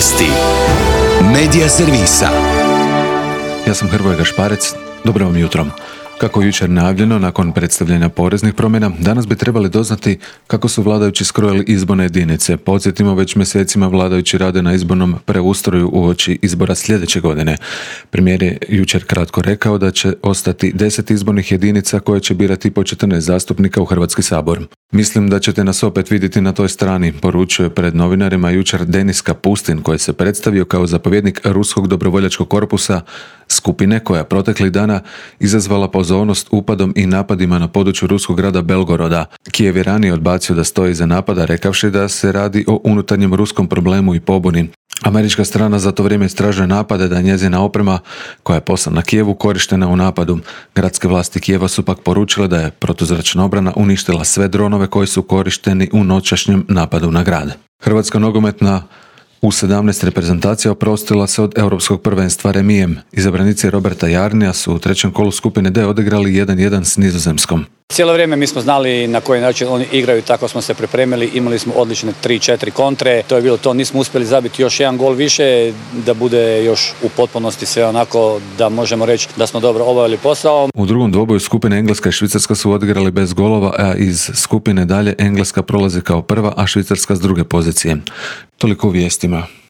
Vijesti Medija servisa. Ja sam Hrvoje Gašparec, dobro vam jutro. Kako je jučer najavljeno, nakon predstavljanja poreznih promjena, danas bi trebali doznati kako su vladajući skrojili izborne jedinice. Podsjetimo, već mjesecima vladajući rade na izbornom preustroju uoči izbora sljedeće godine. Premijer je jučer kratko rekao da će ostati 10 izbornih jedinica koje će birati po 14 zastupnika u Hrvatski sabor. Mislim da ćete nas opet vidjeti na toj strani, poručuje pred novinarima jučer Denis Kapustin, koji se predstavio kao zapovjednik Ruskog dobrovoljačkog korpusa, skupine koja proteklih dana izazvala pozornost upadom i napadima na području ruskog grada Belgoroda. Kijev je ranije odbacio da stoji iza napada, rekavši da se radi o unutarnjem ruskom problemu i pobuni. Američka strana za to vrijeme istražuje napade da je njezina oprema koja je poslana Kijevu korištena u napadu. Gradske vlasti Kijeva su pak poručile da je protuzračna obrana uništila sve dronove koji su korišteni u noćašnjem napadu na grad. Hrvatska nogometna U17 reprezentacija oprostila se od europskog prvenstva remijem. Izabranici Roberta Jarnija su u trećem kolu skupine D odigrali 1-1 s Nizozemskom. Cijelo vrijeme mi smo znali na koji način oni igraju, tako smo se pripremili, imali smo odlične 3-4 kontre, to je bilo to, nismo uspjeli zabiti još jedan gol više, da bude još u potpunosti sve onako da možemo reći da smo dobro obavili posao. U drugom dvoboju skupine Engleska i Švicarska su odigrali bez golova, a iz skupine dalje Engleska prolazi kao prva, a Švicarska s druge pozicije. Toliko u vijestima.